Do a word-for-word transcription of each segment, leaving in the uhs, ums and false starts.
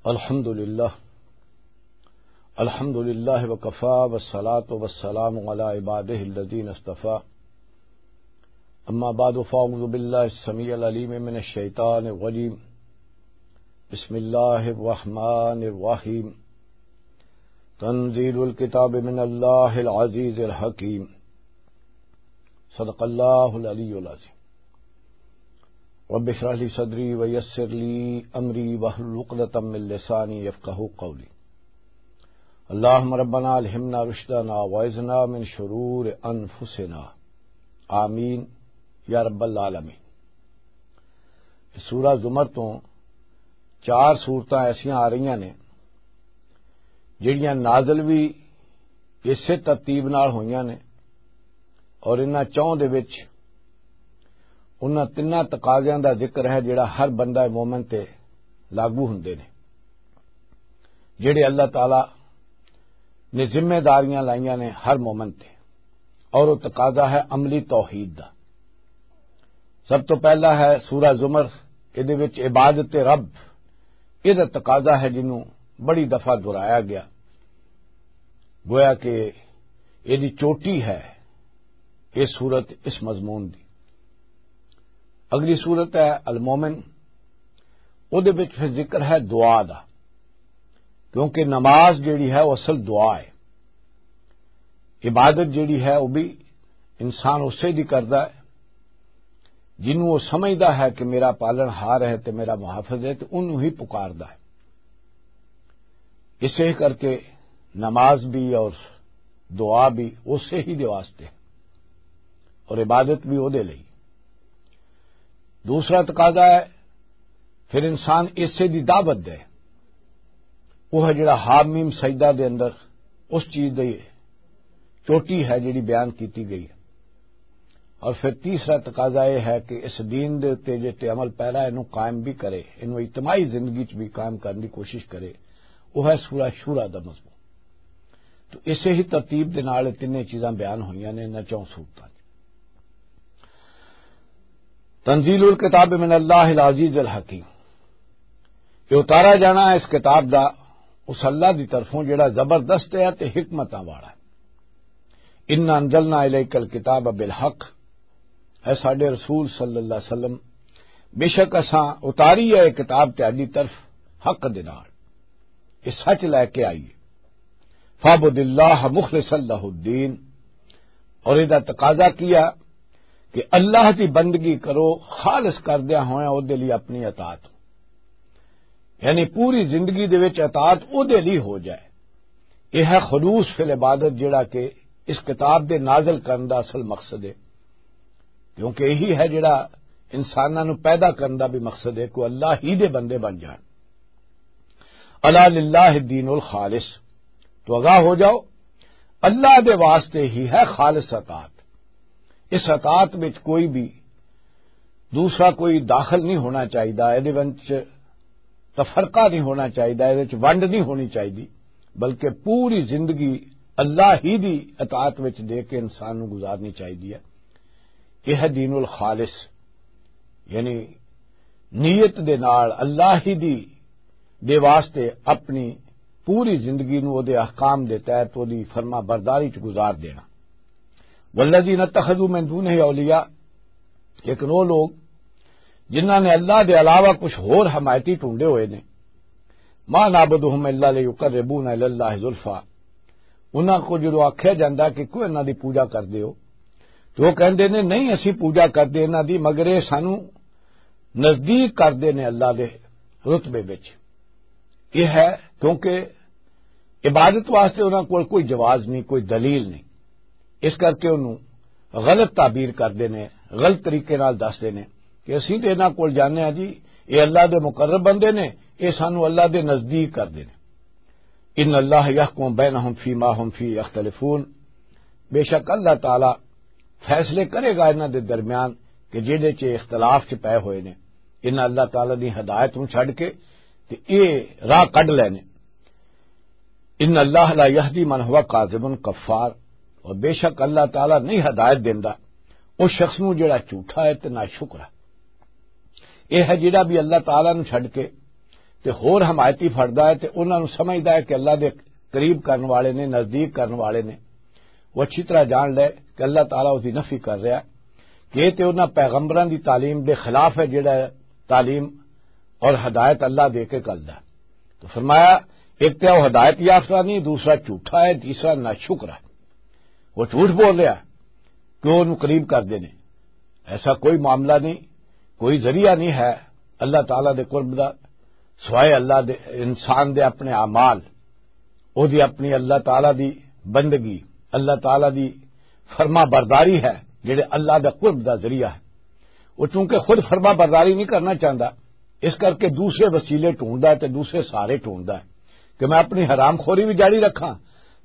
الحمد لله. الحمد لله وكفى، والصلاة والسلام على عباده الذين اصطفى. أما بعد، فأعوذ بالله السميع العليم من الشيطان الرجيم. بسم الله الرحمن الرحيم. تنزيل الكتاب من الله العزيز الحكيم. صدق الله العلي العظيم. رب اشرح لي صدري ويسر لي أمري واحلل عقدة من لساني يفقهوا قولي. اللهم ربنا ألهمنا رشدنا وأعذنا من شرور أنفسنا. آمين يا رب العالمين. سورہ زمر تو چار سورتاں ایسیاں آ رہیاں نے جڑیاں نازل بھی اسے ترتیب نال ہوئیاں نے، اور انہاں چوں دے وچ انہاں تناں تقاضیاں دا ذکر ہے جڑا ہر بندہ مومن تے لاگو ہوندے نے، جڑے اللہ تعالی نے ذمہ داریاں لائیاں نے ہر مومن تے، اور وہ تقاضا ہے عملی توحید دا۔ سب تو پہلا ہے سورہ زمر، ادے وچ عبادت رب، ادھا تقاضا ہے جنوں بڑی دفعہ دہرایا گیا، گویا کہ ادی چوٹی ہے یہ سورت اس مضمون دی۔ اگلی سورت ہے المومن، ادے وچ پھر ذکر ہے دعا دا، کیونکہ نماز جیڑی ہے وہ اصل دعا ہے۔ عبادت جیڑی ہے وہ بھی انسان اسے دی کردا ہے جنوں وہ سمجھدا ہے کہ میرا پالن ہار ہے تے میرا محافظ ہے، تے انہوں ہی پکاردا ہے۔ اسے کر کے نماز بھی اور دعا بھی اسے ہی دے واسطے اور عبادت بھی او دے لئی۔ دوسرا تقاضا ہے، پھر انسان اسے دی دعوت دے، وہ ہے جڑا حامیم سجدہ دے اندر اس چیز دی چوٹی ہے جڑی بیان کیتی گئی ہے۔ اور پھر تیسرا تقاضا یہ ہے کہ اس دین دے اُتے جے تے عمل پیرا اینوں قائم بھی کرے، اینوں اجتماعی زندگی چ بھی قائم کرن دی کوشش کرے، وہ ہے سورہ شورا دا مضمون۔ تو اسے ہی ترتیب دے نال تینے چیزاں بیان ہوئیاں نے انہاں چوں سورتاں چ۔ تنزیل الکتاب من اللہ العزیز الحکیم، یہ اتارا جانا ہے اس کتاب دا اس اللہ دی طرفوں جڑا زبردست ہے تے حکمتاں والا ہے۔ انا انزلنا الیک الکتاب بالحق، اے ساڈے رسول صلی اللہ علیہ وسلم، بے شک اساں اتاری ہے یہ کتاب تہاڈی طرف حق دے نال، یہ سچ لے کے آئی ہے۔ فاعبد اللہ مخلصا لہ الدین، اور یہ تقاضا کیا کہ اللہ دی بندگی کرو خالص کردیا ہویا او دے لئی اپنی اطاعت، یعنی پوری زندگی دے وچ اطاعت او دے لئی ہو جائے۔ یہ ہے خلوص فی العبادت، جڑا کہ اس کتاب دے نازل کرن دا اصل مقصد ہے، کیونکہ یہی ہے جڑا انساناں نوں پیدا کرن دا بھی مقصد ہے کہ اللہ ہی دے بندے بن جان۔ الا للہ الدین الخالص، تو آگاہ ہو جاؤ، اللہ دے واسطے ہی ہے خالص اطاعت۔ اس اطاعت وچ کوئی بھی دوسرا کوئی داخل نہیں ہونا چاہیدا، ایدے وچ تفرقہ نہیں ہونا چاہیدا، ایدے وچ ونڈ نہیں ہونی چاہیدی، بلکہ پوری زندگی اللہ ہی دی اطاعت وچ دے کے انسان نوں گزارنی چاہیدی ہے۔ یہ ہے دین الخالص، یعنی نیت دے نال اللہ ہی دی دے واسطے اپنی پوری زندگی نوں او دے احکام دے تحت او دی فرما برداری چ گزار دینا۔ والذین اتخذوا من دونہ اولیاء، لیکن وہ لوگ جنہاں نے اللہ دے علاوہ کچھ ہور حمایتی ڈھونڈے ہوئے نے، ما نعبدہم الا لیقربونا الی اللہ زلفا، انہاں کو جدوں آکھیا جاندا کہ کیوں انہاں دی پوجا کردے ہو، تو وہ کہندے نے، نہیں، اسی پوجا کردے انہاں دی، مگر یہ سانو نزدیک کردے نے اللہ دے رتبے وچ۔ یہ ہے کیونکہ عبادت واسطے انہاں کول کوئی جواز نہیں، کوئی دلیل نہیں، اس کر کے انہوں غلط تعبیر کردے نے، غلط طریقے نال دسدے نے کہ اسی تے انہاں کول جانے ہاں جی، یہ اللہ دے مقرب بندے نے، یہ سانو اللہ دے نزدیک کردے نے۔ ان اللہ یحکم بینہم فیما ہم فی یختلفون، بے شک اللہ تعالی فیصلے کرے گا انہاں دے درمیان کہ جہدے چ اختلاف چ پے ہوئے نے۔ انہاں اللہ تعالی دی ہدایت نوں چھڈ کے تے اے راہ کڈ لینے۔ ان اللہ لا یہدی من ہوا کاذب کفار، اور بے شک اللہ تعالی نہیں ہدایت دیندا اس شخص نوں جڑا جھوٹا ہے تے ناشکر ہے۔ یہ ہے جڑا بھی اللہ تعالی نوں چھڈ کے تے ہور حمایتی پھڑدا ہے تے انہاں نوں سمجھدا ہے کہ اللہ دے قریب کرن والے نے، نزدیک کرن والے نے۔ وہ اچھی طرح جان لے کہ اللہ تعالیٰ اس دی نفی کر رہا ہے کہ یہ تے انہاں پیغمبراں دی تعلیم دے خلاف ہے، جڑا تعلیم اور ہدایت اللہ دے کے کردا ہے۔ تو فرمایا، ایک تے وہ ہدایت یافتہ نہیں، دوسرا جھوٹا ہے، تیسرا ناشکر ہے۔ وہ جھوٹ بول رہا ہے کہ وہ انہوں قریب کر دینے۔ ایسا کوئی معاملہ نہیں، کوئی ذریعہ نہیں ہے اللہ تعالیٰ دے قرب دا، سوائے اللہ دے، انسان دے اپنے اعمال، او دی اپنی اللہ تعالیٰ دی بندگی، اللہ تعالیٰ دی فرما برداری ہے، جڑے اللہ دا قرب دا ذریعہ ہے۔ وہ چونکہ خود فرما برداری نہیں کرنا چاہتا، اس کر کے دوسرے وسیلے ڈھونڈدا ہے تے دوسرے سہارے ڈھونڈدا ہے کہ میں اپنی حرام خوری بھی جاری رکھاں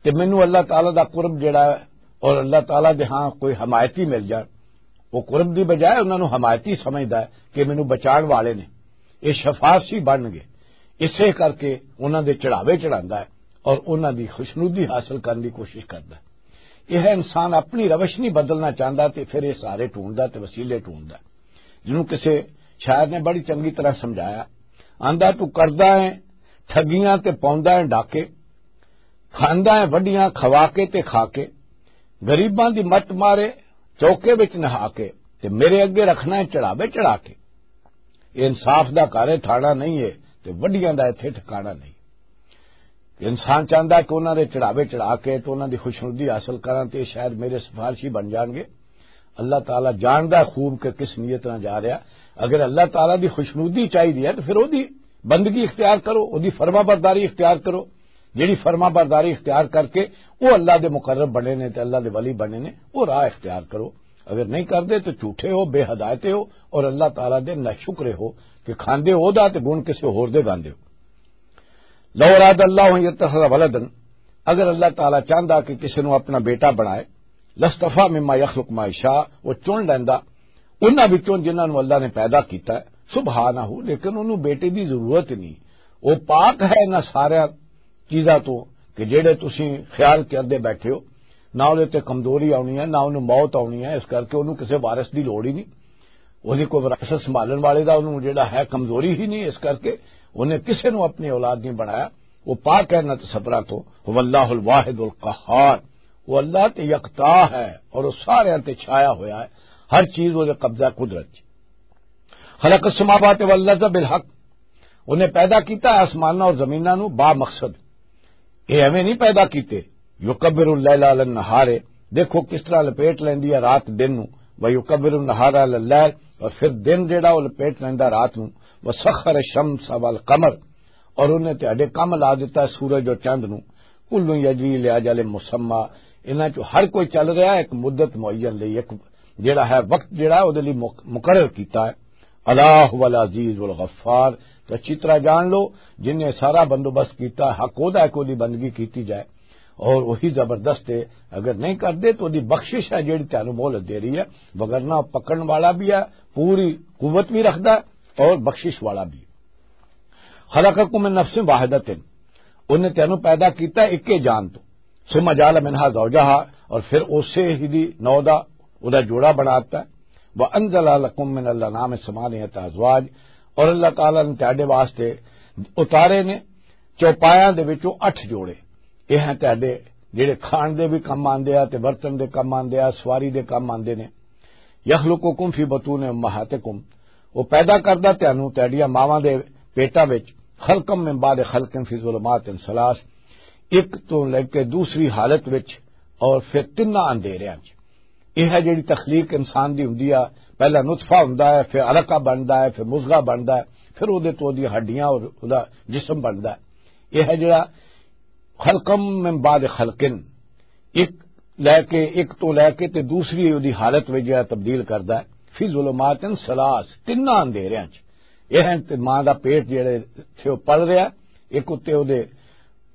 تے مینوں اللہ تعالیٰ دا قرب جڑا ہے اور اللہ تعالیٰ دے ہاں کوئی حمایتی مل جان۔ وہ قرب دی بجائے انہاں نوں حمایتی سمجھدا ہے کہ مینوں بچان والے نے، یہ شفاعت سی بن گئے۔ اسے کر کے انہاں دے چڑھاوے چڑھاندا ہے اور انہاں دی خوشنودی حاصل کرن دی کوشش کردا ہے۔ یہ انسان اپنی روش نہیں بدلنا چاہتا تے پھر یہ سارے ڈھونڈدا تے وسیلے ڈھونڈدا ہے۔ جنوں کسے شاعر نے بڑی چنگی طرح سمجھایا، آندا، تو کردا ہے ٹھگیاں تے پاوندا ہے ڈاکے، کھاندا ہے وڈیاں کھوا کے تے کھا کے، غریباں دی مت مارے چوکے وچ نہا کے، تے میرے اگے رکھنا ہے چڑھاوے چڑھا کے۔ یہ انصاف دا گھر ہے، تھانہ نہیں ہے، تے وڈیاں دا ایتھے ٹھکانہ نہیں۔ انسان چاہندا ہے کہ انہاں دے چڑھاوے چڑھا کے تے انہاں دی خوشنودی حاصل کراں تے شاید میرے سفارشی بن جان گے۔ اللہ تعالیٰ جاندا ہے خوب کہ کس نیت نال جا رہا۔ اگر اللہ تعالیٰ دی خوشنودی چاہیدی ہے تو پھر او دی بندگی اختیار کرو، او دی فرما برداری اختیار کرو۔ جیڑی فرما برداری اختیار کر کے او اللہ دے مقرب بنے نے تے اللہ دے ولی بنے نے، او راہ اختیار کرو۔ اگر نہیں کردے تو جھوٹے ہو، بے ہدایتے ہو اور اللہ تعالیٰ دے ناشکرے ہو کہ کھاندے ہو دا تے گن کسے ہور دے گاندے ہو۔ لو اراد اللہ ان یتخذ ولدا، اگر اللہ تعالیٰ چاہندا کہ کسی نو اپنا بیٹا بنائے، لستفا مما یخلق ما یشاء، وہ چن لیندا انہاں وچوں جنہاں نو اللہ نے پیدا کیتا ہے۔ سبحانہ، لیکن انہوں بیٹے دی ضرورت نہیں، وہ پاک ہے انہاں سارے چیزاں تو کہ جڑے تسی خیال کردے بیٹھے ہو۔ نہ انہوں تے کمزوری آنی ہے، نہ انہوں موت آنی ہے، اس کر کے انہوں کسے وارث دی لوڑ ہی نہیں۔ انہیں کوئی وراثت سنبھالن والے دا انہوں جڑا ہے کمزوری ہی نہیں، اس کر کے انہیں کسے نو اپنی اولاد نہیں بنایا۔ وہ پاک ہے نہ تصورات تو۔ هو اللہ الواحد القہار، وہ اللہ تے یکتا ہے اور وہ سارے تے چھایا ہویا ہے، ہر چیز وہ قبضہ قدرت۔ خلق السماوات والارض بالحق، انہیں پیدا کیتا ہے آسماناں اور زمیناں نو با مقصد۔ یہ ایویں نہیں پیدا کیتے۔ یکبر اللیل علی النہار، دیکھو کس طرح لپیٹ لیندی ہے رات دن نو۔ و یکبر النہار علی اللیل، اور پھر دن جڑا وہ لپیٹ لیندا رات نو۔ وسخر الشمس والقمر، اور انہیں تہاڈے کم لا دیتا ہے سورج اور چند نو۔ کل یجری لاجل مسمی، انہاں چوں ہر کوئی چل رہا ہے ایک مدت معین لئی، ایک جڑا ہے وقت جڑا ہے او دے لئی مق-، مقرر کیتا ہے۔ الا هو العزیز الغفار، تو اچھی طرح جان لو، جن نے سارا بندوبست کیتا، حق او دا ہے کہ او دی بندگی کیتی جائے، اور وہی زبردست ہے۔ اگر نہیں کردے تو او دی بخشش ہے جڑی تینوں مہلت دے رہی ہے، وگرنہ پکڑن والا بھی ہے، پوری قوت بھی رکھدا ہے اور بخشش والا بھی۔ خلقکم من نفس واحدۃ، انہیں تینوں پیدا کیتا ہے ایک ہی جان تو۔ ثم جعل منها زوجها، اور پھر اسے ہی دی نو دا، او دا جوڑا بنا دیتا ہے۔ وانزل لکم من الانعام ثمانیۃ ازواج، اور اللہ تعالیٰ نے تہاڈے واسطے اتارے نے چوپایاں دے وچوں اٹھ جوڑے۔ یہ ہیں تہاڈے جڑے کھان دے بھی کم آندے آ تے برتن دے کم آندے آ، سواری دے کم آندے نے۔ یخلقکم فی بطون امہاتکم، وہ پیدا کردا تینوں تہاڈیاں ماواں دے پیٹاں وچ، خلقا من بعد خلق فی ظلمات ثلاث، ایک تو لے کے دوسری حالت وچ اور پھر تیناں اندھیریاں وچ۔ یہ ہے جڑی تخلیق انسان دی ہوندی آ، پہلا نطفہ ہوندا ہے، پھر علقہ بندا ہے، پھر مضغہ بندا ہے، پھر اودے تو اودیاں ہڈیاں اور اودے جسم بندا ہے۔ یہ ہے جڑا خلقم من بعد خلقن، ایک لے کے، ایک تو لے کے تے دوسری اودی حالت وچ جڑا تبدیل کردا ہے۔ فی ظلمات ثلاث، تیناں اندھیریاں چ۔ یہ ہیں تے ماں دا پیٹ جڑے تھے او پل رہا، ایک اتے اودے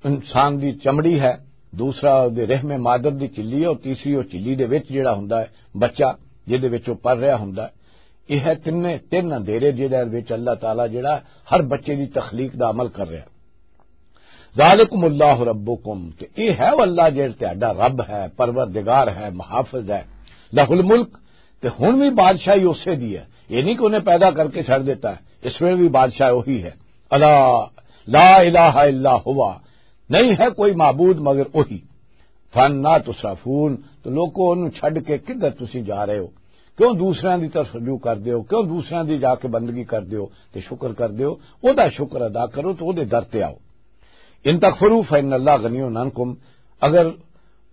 انسان دی چمڑی ہے، دوسرا اودے رحم مادر دی چلی ہے، اور تیسری او چلی دے وچ جڑا ہوندا ہے بچہ، جدے وچ او پل رہا ہوندا ہے۔ یہ ہے تینے، تین اندھیرے جڑے وچ اللہ تعالیٰ جڑا ہر بچے دی تخلیق دا عمل کر رہا۔ ذالکم اللہ ربکم، تے اے ہے او اللہ جڑا تہاڈا رب ہے، پروردگار ہے، محافظ ہے۔ لہ الملک، تے ہن وی بادشاہی اسے دی ہے۔ یہ نہیں کہ انہیں پیدا کر کے چھڑ دیتا ہے، اس ویلے بھی بادشاہ وہی ہے۔ الا لا الہ الا ہوا، نہیں ہے کوئی معبود مگر وہی۔ فانا تصرفون، تو لوکو، انہوں چھڈ کے کدھر تسی جا رہے ہو؟ کیوں دوسریاں دی طرف رجوع کر دیو؟ کیوں دوسریاں دی جا کے بندگی کر دیو تے شکر کر دیو؟ او دا شکر ادا کرو تے او دے در تے آؤ۔ ان تکفروا فان اللہ غنی عنکم، اگر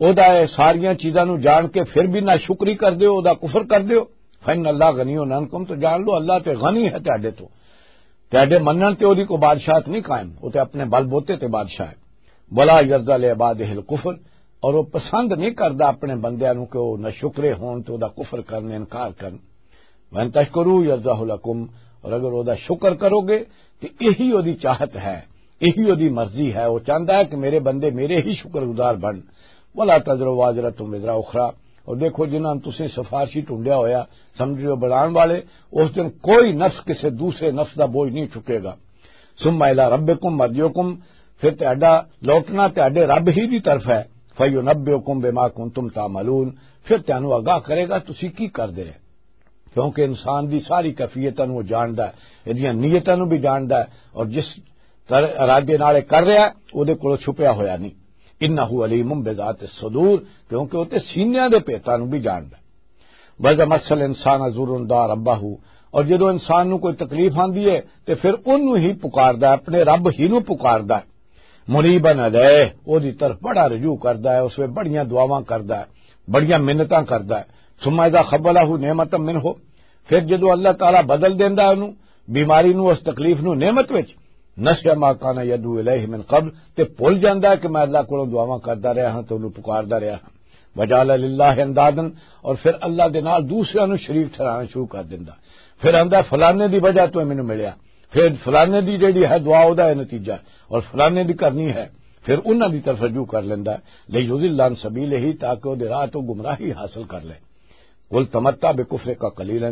او دا اے ساریاں چیزاں نو جان کے پھر بھی نہ شکری کر دیو، او دا کفر کر دیو، فان اللہ غنی عنکم، تو جان لو اللہ تے غنی ہے تہاڈے تو۔ تہاڈے منن تے اودی کوئی بادشاہت نہیں قائم، او تے اپنے بل بوتے تے بادشاہ ہے۔ ولا یرضی لعباده الکفر، اور وہ پسند نہیں کردا اپنے بندیاں نو کہ وہ نہ شکرے ہون تے او دا کفر کرن، انکار کرن۔ وَإِن تَشْكُرُوا يَرْضَهُ لَكُمْ، اور اگر او دا شکر کرو گے تو یہی او دی چاہت ہے، یہی او دی مرضی ہے۔ وہ چاہتا ہے کہ میرے بندے میرے ہی شکر گزار بن۔ وَلَا تَزِرُ وَازِرَةٌ وِزْرَ أُخْرَىٰ، اور دیکھو، جنہاں تسیں سفارشی ڈھونڈیا ہویا سمجھو بنان والے، اس دن کوئی نفس کسے دوسرے نفس دا بوجھ نہیں چکے گا۔ ثم الی ربکم مرجعکم، پھر تہاڈا لوٹنا تہاڈے رب ہی دی طرف ہے۔ فینبئکم بما کنتم تعملون، پھر تانوں آگاہ کرے گا تسی کی کردے رہے۔ کیونکہ انسان دی ساری کیفیتاں نوں وہ جاندا ہے، ایدیاں نیتاں نوں بھی جاندا ہے، اور جس طرح ارادے نال اے کر رہا ہے، او دے کولوں چھپیا ہویا نہیں۔ انہ علیم بذات الصدور، کیونکہ او تے سینیاں دے پیتاں نوں بھی جاندا ہے۔ وَإِذَا مَسَّ الْإِنسَانَ ضُرٌّ دَعَا رَبَّهُ، اور جدوں انسان نوں کوئی تکلیف آندی ہے تے پھر اونوں ہی پکاردا ہے، اپنے رب ہی نوں پکاردا ہے۔ مُنِيبًا إِلَيْهِ، او دی طرف بڑا رجوع کردا ہے، اس وچ بڑیاں دعاواں کردا ہے، بڑیاں منتاں کردا ہے۔ ثُمَّ إِذَا خَوَّلَهُ نِعْمَةً مِّنْهُ، پھر جدوں اللہ تعالیٰ بدل دیندا ہے اونوں، بیماری نوں، اس تکلیف نوں نعمت وچ، نسیا ما کان یدعو الیہ من قبل، تے بھول جاندا ہے کہ میں اللہ کولوں دعاواں کردا رہیا ہاں تے اونوں پکاردا رہیا ہاں۔ وجعل للہ اندادا، اور پھر اللہ دے نال دوسریاں نوں شریک ٹھہرانا شروع کر دیندا۔ پھر آندا، فلانے دی وجہ تو مینوں ملیا، پھر فلانے دی جیڑی ہے دعا، او دا اے نتیجہ ہے، اور فلانے دی کرنی ہے، پھر انہاں دی طرف رجوع کر لیندا ہے۔ لیضل عن سبیلہ، تاکہ او دے راہ تو گمراہی حاصل کر لے۔ قل تمتع بکفرک قلیلا،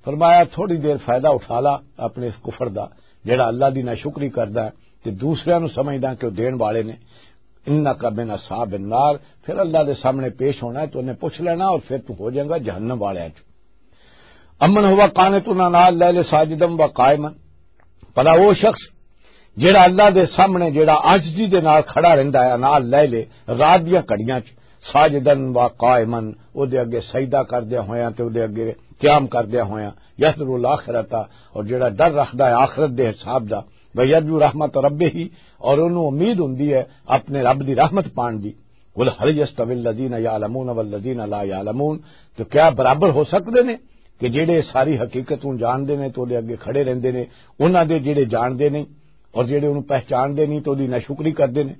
فرمایا تھوڑی دیر فائدہ اٹھا لا اپنے اس کفر دا، جڑا اللہ دی ناشکری کردا ہے تے دوسریاں نوں سمجھدا کہ وہ دین والے نے۔ انک من اصحاب النار، پھر اللہ دے سامنے پیش ہونا ہے، تو انہیں پوچھ لینا اور پھر تو ہو جائے گا جہنم والے چ۔ امن ہوا قانت انہاں نال لیل ساجدم و قائما، بھلا وہ شخص جڑا اللہ دے سامنے، جڑا عاجزی دے نال کھڑا رہندا ہے، نال لے لے رات دیاں گھڑیاں چ، ساجدن و قائمن، او دے اگے سجدہ کردیا ہویاں تے او دے اگے قیام کردیا ہویاں، یحذر الاخرۃ، اور جڑا ڈر رکھدا ہے آخرت دے حساب دا، و یرجو رحمت ربہ، اور اونوں امید ہوندی ہے اپنے رب دی رحمت پان دی۔ قل هل يستوي الذين يعلمون والذين لا يعلمون، تو کیا برابر ہو سکدے نے کہ جڑے ساری حقیقت نوں جاندے نے تے اودے اگے کھڑے رہندے نے، انہاں دے جڑے جاندے نہیں اور جڑے انہوں پہچاندے نہیں تے اودی ناشکری کردے نے؟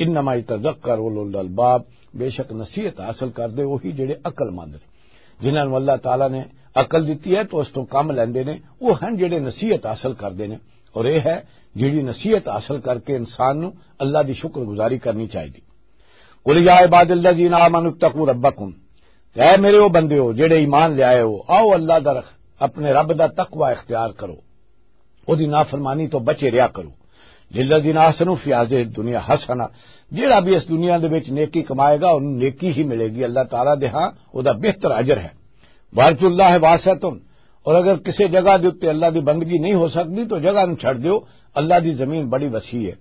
انما يتذكر اولو الالباب، بے شک نصیحت حاصل کردے وہی جڑے عقل مند نے، جنہاں نوں اللہ تعالیٰ نے عقل دتی ہے تو اس تو کم لیندے نے، وہ ہن جڑے نصیحت حاصل کردے نے۔ اور یہ ہے جڑی نصیحت حاصل کر کے انسان نوں اللہ دی شکر گزاری کرنی چاہیے۔ قل یا عباد الذین آمنوا اتقوا ربکم، اے میرے او بندیو جڑے ایمان لے آئے ہو، آؤ اللہ دا رخ، اپنے رب دا تقوی اختیار کرو، او دی نافرمانی تو بچے رہیا کرو۔ للذین احسنوا فی هذه الدنیا حسنہ، جڑا بھی اس دنیا دے وچ نیکی کمائے گا، انہوں نیکی ہی ملے گی، اللہ تعالیٰ دے ہاں او دا بہتر اجر ہے۔ وارض اللہ واسعۃ، اور اگر کسی جگہ دے اُتے اللہ دی بندگی نہیں ہو سکتی تو جگہ نوں چھڈ دیو، اللہ دی زمین بڑی وسیع ہے۔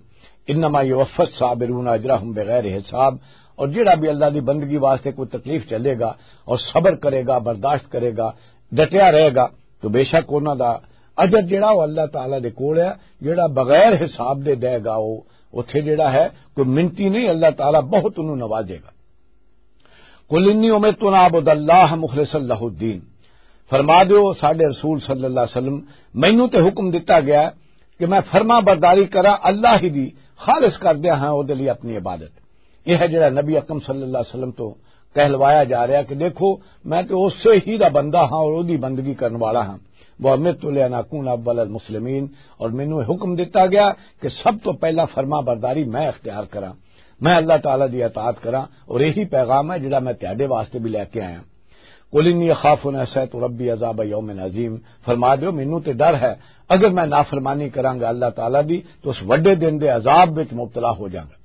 انما یوفی الصابرون اجرہم بغیر حساب، اور جڑا بھی اللہ دی بندگی واسطے کوئی تکلیف چلے گا اور صبر کرے گا، برداشت کرے گا، ڈٹیا رہے گا، تو بے شک انہاں دا اجر جڑا وہ اللہ تعالیٰ دے کول ہے، جڑا بغیر حساب دے دے گا، وہ اتھے جڑا ہے کوئی منتی نہیں، اللہ تعالیٰ بہت انہوں نوازے گا۔ قل انی امرت ان اعبد اللہ مخلصا لہ الدین، فرما دیو ساڈے رسول صلی اللہ علیہ وسلم، مینوں تے حکم دتا گیا کہ میں فرما برداری کراں اللہ ہی دی، خالص کردیا ہاں او دے لئی اپنی عبادت۔ یہ ہے جڑا نبی اکرم صلی اللہ علیہ وسلم تو کہلوایا جا رہا کہ دیکھو، میں تے اسے ہی دا بندہ ہاں اور اودی بندگی کرن والا ہاں۔ وامرت لان اکون اول المسلمین، اور مینوں یہ حکم دتا گیا کہ سب تو پہلا فرما برداری میں اختیار کراں، میں اللہ تعالیٰ دی اطاعت کراں، اور یہی پیغام ہے جڑا میں تہاڈے واسطے بھی لے کے آیا۔ قل انی اخاف ان عصیت ربی عذاب یوم عظیم، فرما دیو مینوں تے ڈر ہے اگر میں نافرمانی کراں گا اللہ تعالیٰ دی تو اس وڈے دن دے عذاب وچ مبتلا ہو جاں گا۔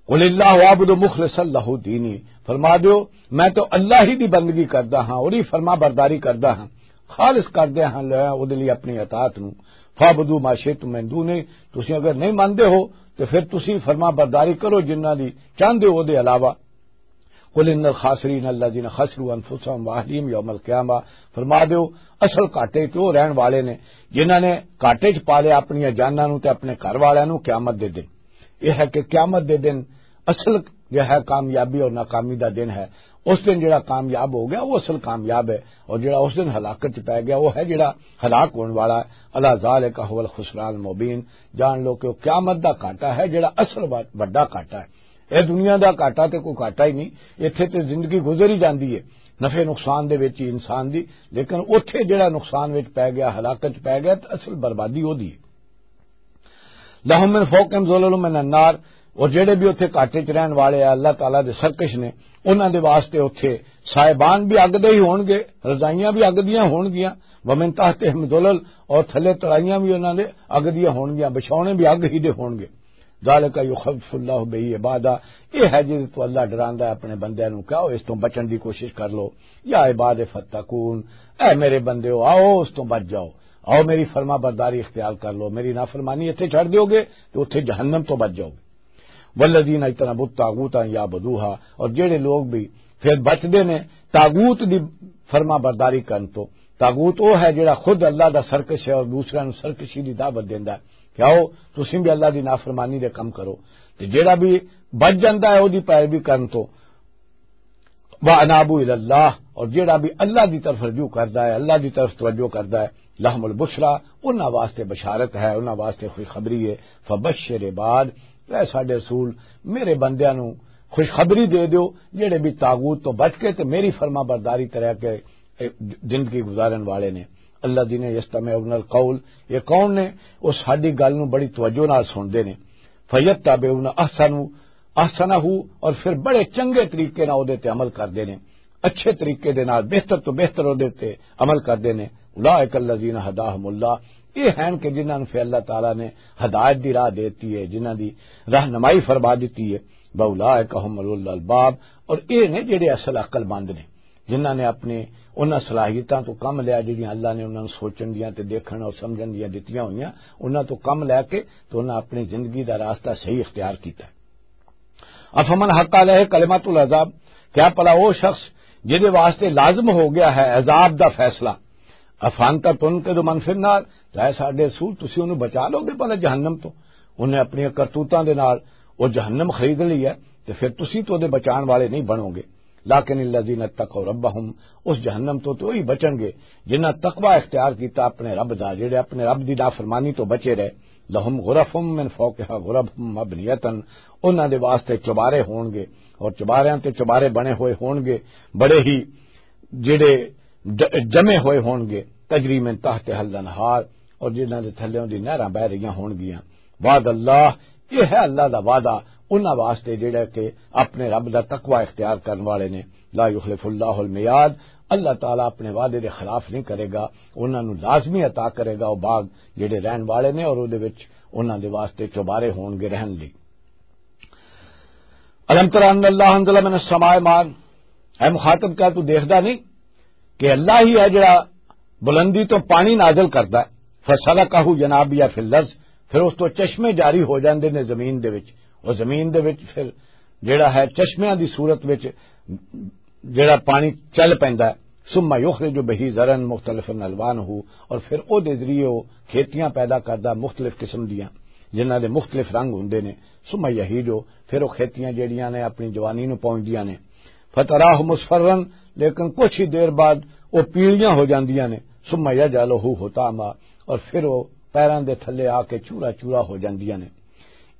قل اللہ اعبد مخلصا لہ دینی، فرما دیو میں تو اللہ ہی دی بندگی کردا ہاں اور ہی فرما برداری کردا ہاں، خالص کردا ہاں لے او دے لئی اپنی اطاعت نوں۔ فاعبدوا ما شئتم من دونه، تسی اگر نہیں مانتے ہو تو پھر تسی فرما برداری کرو جنہاں دی چاہندے ہو دے علاوہ۔ قل ان الخاسرین الذین خسروا انفسهم واہلیہم یوم القیامہ، فرما دیو، اصل گھاٹے تے او رہن والے نے جنہاں نے گھاٹے چ پا لیا اپنی جاناں نوں تے اپنے گھر والیاں نوں قیامت دے دن۔ یہ ہے کہ قیامت دے دن اصل جو ہے کامیابی اور ناکامی دا دن ہے۔ اس دن جڑا کامیاب ہو گیا وہ اصل کامیاب ہے، اور جڑا اس دن ہلاکت چ پی گیا وہ ہے جڑا ہلاک ہون والا ہے۔ الا ذالک هو الخسران المبین، جان لو کہ وہ قیامت دا گھاٹا ہے جڑا اصل وا-، وڈا گھاٹا ہے۔ اے دنیا دا گھاٹا تے کوئی گھاٹا ہی نہیں، ایتھے تے زندگی گزر ہی جاندی ہے، نفع نقصان دے وچ ہی انسان دی، لیکن اوتھے جڑا نقصان وچ پی گیا، ہلاکت چ پی گیا، تے اصل بربادی او دی ہے۔ لہم من فوقہم ظلل من النار، اور جڑے بھی اتھے گھاٹے چ رہن والے آ، اللہ تعالیٰ دے سرکش نے، انہاں دے واسطے اتھے سائبان بھی اگ دے ہی ہونگے، رضائیاں بھی اگ دیاں ہونگیاں، ومن تحتہم ظلل، اور تھلے تڑائیاں بھی انہاں دے اگ دیاں ہونگیاں، بچھونے بھی اگ ہی دے ہونگے۔ ذالک یخوف اللہ بہ عبادہ، یہ ہے جس تو اللہ ڈراندا ہے اپنے بندیاں نوں، کیا اس تو بچن دی کوشش کر لو۔ یا عباد فتقون، اے میرے بندیو، آؤ اس تو بچ جاؤ۔ آؤ میری فرما برداری اختیار کر لو، میری نافرمانی اتھے چھڑ دیو گے تو اتھے جہنم تو بچ جاؤ گے۔ والذین اجتنبوا الطاغوت ان یعبدوها، اور جڑے لوگ بھی پھر بچدے نے طاغوت دی فرما برداری کرن تو۔ طاغوت وہ ہے جڑا خود اللہ دا سرکش ہے اور دوسرے نوں سرکشی دی دعوت دیندا ہے کہ آؤ تسیں بھی اللہ دی نافرمانی دے کم کرو۔ تے جڑا بھی بچ جاندا ہے او دی پیروی کرن تو، وَأَنَابُوا إِلَى اللَّهِ، اور جڑا بھی اللہ دی طرف رجوع کردا ہے، اللہ دی طرف توجہ کردا ہے، لَهُمُ الْبُشْرَىٰ، انہاں واسطے بشارت ہے، انہاں واسطے خوشخبری ہے۔ فَبَشِّرْ عِبَادِ، اے ساڈے رسول، میرے بندیاں نوں خوشخبری دے دیو، جڑے بھی طاغوت تو بچ کے تے میری فرما برداری کرے کے، اے، زندگی گزارن والے نے۔ الَّذِينَ يَسْتَمِعُونَ الْقَوْلَ، یہ کون نے؟ وہ ساڈی گل نوں بڑی توجہ نال سنتے نے۔ فَيَتَّبِعُونَ أَحْسَنَهُ، احسنہ، اور پھر بڑے چنگے طریقے نال اودے تے عمل کردے نے، اچھے طریقے دے نال، بہتر تو بہتر اودے تے عمل کردے نے۔ اولئک الذین ھداھم اللہ، یہ ہیں کہ جنہاں نوں پھر اللہ تعالیٰ نے ہدایت دی راہ دے دتی ہے، جنہاں دی رہنمائی فرما دتی ہے۔ واولئک ھم اولو الالباب، اور یہ نے جڑے اصل عقل مند نے، جنہاں نے اپنے انہاں صلاحیتاں تو کم لیا جڑیاں اللہ نے انہاں نوں سوچن دیاں تے دیکھن اور سمجھن دیاں دتیاں ہوئیاں، انہاں تو کم لے کے تو انہاں اپنی زندگی دا راستہ صحیح اختیار کیتا ہے۔ افمن حق علیہ کلمۃ العذاب، کیا پلا وہ شخص جہدے واسطے لازم ہو گیا ہے عذاب دا فیصلہ؟ افانت تنقذ من فی النار، ظاہر ساڈے رسول تسی انہوں بچا لو گے پلا جہنم تو؟ انہیں اپنی کرتوتاں دے نال وہ جہنم خرید لی ہے، تے پھر تسی تو دے بچان والے نہیں بنو گے۔ لیکن الذین اتقوا ربہم، اس جہنم تو تو ہی بچن گے جنہاں تقوی اختیار کیتا اپنے رب دا، جڑے اپنے رب دی نافرمانی تو بچے رہے۔ لہم غرف من فوقہا غرف مبنیۃ، انہاں دے واسطے چوبارے ہون گے، اور چوباریاں تے چوبارے بنے ہوئے ہون گے، بڑے ہی جڑے ج-، جمے ہوئے ہون گے، تجری من تحتہا الانہار، اور جنہاں دے تھلے دی نہراں بہ رہیاں ہون گیاں۔ وعد اللہ، یہ ہے اللہ دا وعدہ انہاں واسطے جڑا کہ اپنے رب دا تقوی اختیار کرن والے نے۔ لا یخلف اللہ المیعاد، اللہ تعالیٰ اپنے وعدے دے خلاف نہیں کرے گا، انہاں نوں لازمی عطا کرے گا وہ باغ جڑے رہن والے نے اور اودے وچ انہاں دے واسطے چوبارے ہون گے رہن لئی۔ الم تر ان اللہ انزل من السماء ماء، اے مخاطب، کیا تو دیکھدا نہیں کہ اللہ ہی ہے جڑا بلندی تو پانی نازل کردا ہے؟ فسلکہ ینابیع فی الارض، پھر اس تو چشمے جاری ہو جاندے نے زمین دے وچ، اور زمین دے وچ پھر جڑا ہے چشمیاں دی صورت وچ جڑا پانی چل پیندا ہے۔ ثم یخرج بہ زرعا مختلفا الوانہ، اور پھر او دے ذریعے او کھیتیاں پیدا کردا مختلف قسم دیاں، جنہاں دے مختلف رنگ ہوندے نے۔ ثم یہیج، پھر او کھیتیاں جڑیاں نے اپنی جوانی نوں پہنچدیاں نے۔ فتراہ مصفرا، لیکن کچھ ہی دیر بعد او پیلیاں ہو جاندیاں نے۔ ثم یجعلہ حطاما، اور پھر او پیراں دے تھلے آ کے چورا چورا ہو جاندیاں نے۔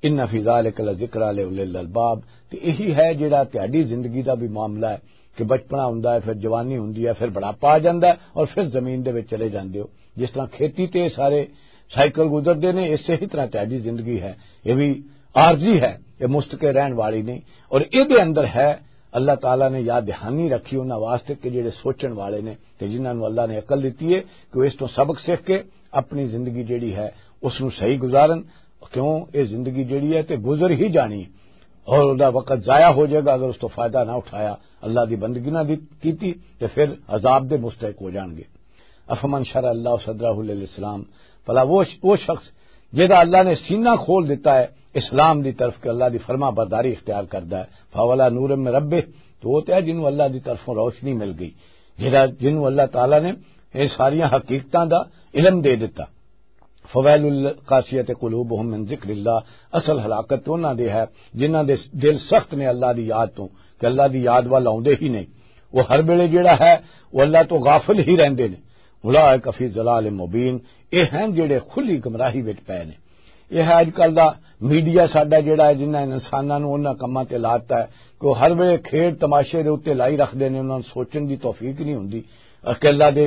ان فی ذلک لذکری لأولی الالباب، تے یہی ہے جڑا تہاڈی زندگی دا بھی معاملہ ہے کہ بچپنا ہوندا ہے، پھر جوانی ہوندی ہے، پھر بڑھاپا آ جاندا ہے اور پھر زمین دے وچ چلے جاندے ہو۔ جس طرح کھیتی تے سارے سائیکل گزردے نے، اسے ہی طرح تہاڈی زندگی ہے، یہ بھی عارضی ہے، یہ مستقل رہن والی نہیں۔ اور یہ دے اندر ہے اللہ تعالیٰ نے یاد دہانی رکھی انہاں واسطے کہ جڑے سوچن والے نے تے جنہاں نوں اللہ نے عقل دتی ہے کہ وہ اس تو سبق سیکھ کے اپنی زندگی جڑی ہے اس نوں صحیح گزارن۔ کیوں؟ یہ زندگی جڑی ہے تے گزر ہی جانی ہے، اور دا وقت ضائع ہو جائے گا اگر اس تو فائدہ نہ اٹھایا، اللہ دی بندگی نہ دی-، کیتی، تے پھر عذاب دے مستحق ہو جان گے۔ افمن شرح اللہ صدرہ للاسلام، بھلا وہ، وہ شخص جہدا اللہ نے سینہ کھول دیتا ہے اسلام دی طرف، کہ اللہ دی فرما برداری اختیار کردا ہے، فولا نور من ربہ، تو وہ تے ہے جنوں اللہ دی طرفوں روشنی مل گئی، جہدا، جنوں اللہ تعالیٰ نے یہ ساریاں حقیقتاں دا علم دے دیتا۔ فویل القاسیۃ قلوبہم من ذکر اللہ، اصل ہلاکت تو انہاں دے ہے جنہاں دے دل سخت نے اللہ دی یاد تو، کہ اللہ دی یاد وال آوندے ہی نہیں۔ وہ ہر ویلے جڑا ہے، وہ اللہ تو غافل ہی رہندے نے۔ اولئک فی ضلال مبین، یہ ہیں جڑے کھلی گمراہی وچ پے نے۔ یہ ہے اج کل دا میڈیا ساڈا جڑا ہے، جنہاں انساناں نوں انہاں کماں تے لاتا ہے کہ وہ ہر ویلے کھیڈ تماشے دے اوتے لائی رکھدے نے، انہاں نوں سوچن دی توفیق نہیں ہوندی۔ اکیلا دے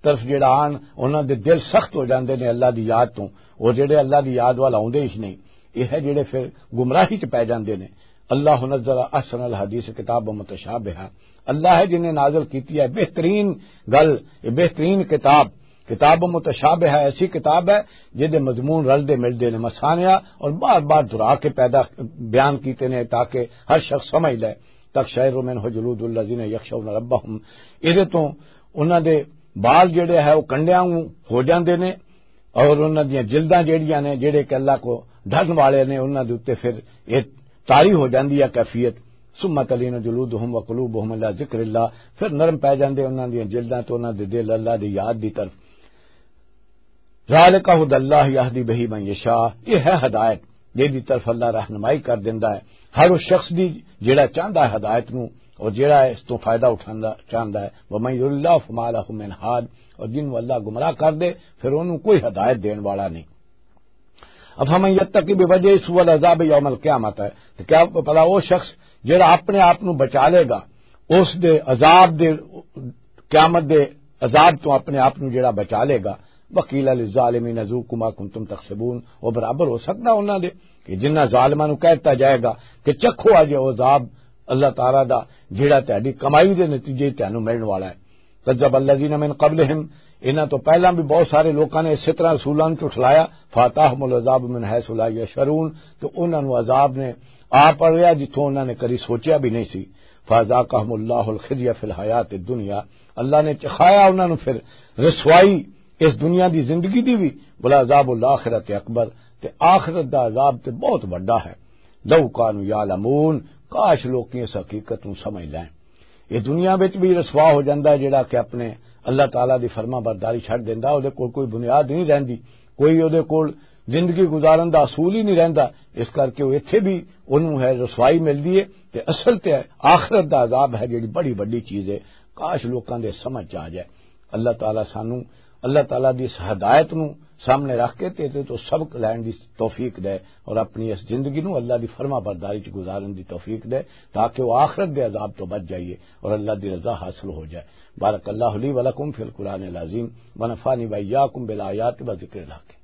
طرف جڑا آن، انہاں دے دل سخت ہو جاندے نے اللہ دی یاد تو، اور جڑے اللہ دی یاد وال آوندے ہی نہیں، یہ ہے جڑے پھر گمراہی چ پے جاندے نے۔ اللہ نزل احسن الحدیث کتاب متشابہ، اللہ ہے جنہیں نازل کیتی ہے بہترین گل، یہ بہترین کتاب، کتاب متشابہ ہے، ایسی کتاب ہے جہدے مضمون رلدے ملدے نے، مسانیا اور بار بار دہرا کے پیدا بیان کیتے نے تاکہ ہر شخص سمجھ لے۔ تقشعر منہ جلود الذین یخشون ربہم، ادے تو انہاں دے بال جڑے ہے وہ کنڈیاں وانگوں ہو جاندے نے، اور انہاں دیاں جلداں جڑیاں نے، جڑے کہ اللہ کو ڈرن والے نے، انہاں دے اُتے پھر یہ طاری ہو جاندی ہے کیفیت۔ ثم تلین جلودہم وقلوبہم الی ذکر اللہ، پھر نرم پے جاندے انہاں دیاں جلداں تو انہاں دے دل اللہ دی یاد دی طرف۔ ذالک ھدی اللہ یھدی بہ من یشاء، یہ ہے ہدایت جس دی طرف اللہ رہنمائی کر دیندا ہے ہر اس شخص دی جڑا چاہندا ہے ہدایت نو، اور جڑا اس تو فائدہ اٹھاندا چاہندا ہے۔ ومن یضلل اللہ فما لہ من ھاد، اور جن نو اللہ گمراہ کر دے، پھر اونوں کوئی ہدایت دین والا نہیں۔ افمن یتقی بوجہ سوء العذاب یوم القیامت، ہے تو کیا پتا وہ شخص جڑا اپنے آپ نو بچا لے گا اس دے عذاب دے، قیامت دے عذاب تو اپنے آپ نو جڑا بچا لے گا۔ وقیل للظالمین ذوقوا ما کنتم تکسبون، وہ برابر ہو سکدا انہاں دے کہ جنہاں ظالماں نو کہہ دتا جائے گا کہ چکھو اج وہ عذاب اللہ تعالیٰ دا، جڑا تہاڈی کمائی دے نتیجے تانوں ملن والا ہے۔ کذب الذین من قبلہم، انہاں تو پہلاں بھی بہت سارے لوکاں نے اسی طرح رسولاں نوں جھٹلایا، فاتاہم العذاب من حیث لا یشعرون، تو انہاں نوں عذاب نے آ پڑیا جتھوں انہاں نے کدی سوچیا بھی نہیں سی۔ فذاقہم اللہ الخزی فی الحیات الدنیا، اللہ نے چکھایا انہاں نوں پھر رسوائی اس دنیا دی زندگی دی بھی، ولعذاب الآخرۃ اکبر، تے آخرت دا عذاب تے بہت وڈا ہے۔ لو کانوا یعلمون، کاش لوکی اس حقیقت نوں سمجھ لین۔ یہ دنیا وچ بھی رسوا ہو جاندا ہے جڑا کہ اپنے اللہ تعالیٰ دی فرما برداری چھڈ دیندا، اودے کول کوئی بنیاد نہیں رہندی، کوئی اودے کول زندگی گزارن دا اصول ہی نہیں رہندا۔ اس کر کے وہ ایتھے بھی انہوں ہے رسوائی ملدی ہے، تے اصل تے آخرت دا عذاب ہے جڑی بڑی وڈی چیز ہے۔ کاش لوکاں دے سمجھ چ آ جائے۔ اللہ تعالیٰ سانوں، اللہ تعالیٰ دی اس ہدایت نوں سامنے رکھ کے تے تے تو سبق لین دی توفیق دے، اور اپنی اس زندگی نوں اللہ دی فرما برداری چ گزارن دی توفیق دے، تاکہ وہ آخرت دے عذاب تو بچ جائیے اور اللہ دی رضا حاصل ہو جائے۔ بارک اللہ لی و لکم فی القرآن العظیم، و نفعنی و ایاکم بالآیات و ذکر الحکیم۔